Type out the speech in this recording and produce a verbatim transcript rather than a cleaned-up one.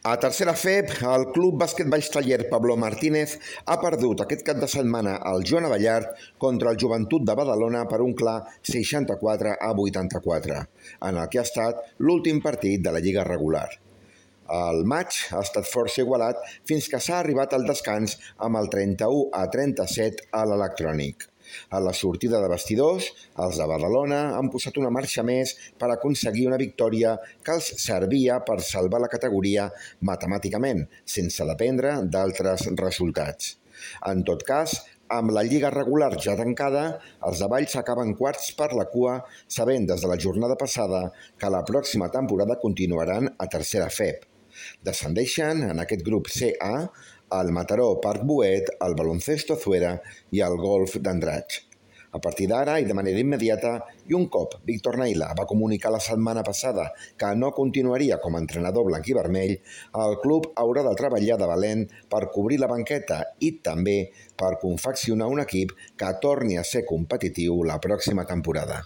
A tercera F E B, el Club Bàsquet Valls Taller Pablo Martínez ha perdut aquest cap de setmana al Joan Abellard contra el Joventut de Badalona per un clar seixanta-quatre a vuitanta-quatre, en el que ha estat l'últim partit de la lliga regular. El maig ha estat força igualat fins que s'ha arribat al descans amb el trenta-u a trenta-set a l'Electrònic. A la sortida de vestidors, els de Badalona han posat una marxa més per aconseguir una victòria que els servia per salvar la categoria matemàticament, sense dependre d'altres resultats. En tot cas, amb la lliga regular ja tancada, els de Valls acaben quarts per la cua, sabent des de la jornada passada que la pròxima temporada continuaran a tercera F E B. Descendeixen en aquest grup C A el Mataró Parc Boet, el Baloncesto Zuera i el Golf d'Andratx. A partir d'ara i de manera immediata, i un cop Víctor Naila va comunicar la setmana passada que no continuaria com a entrenador blanc i vermell, el club haurà de treballar de valent per cobrir la banqueta i també per confeccionar un equip que torni a ser competitiu la pròxima temporada.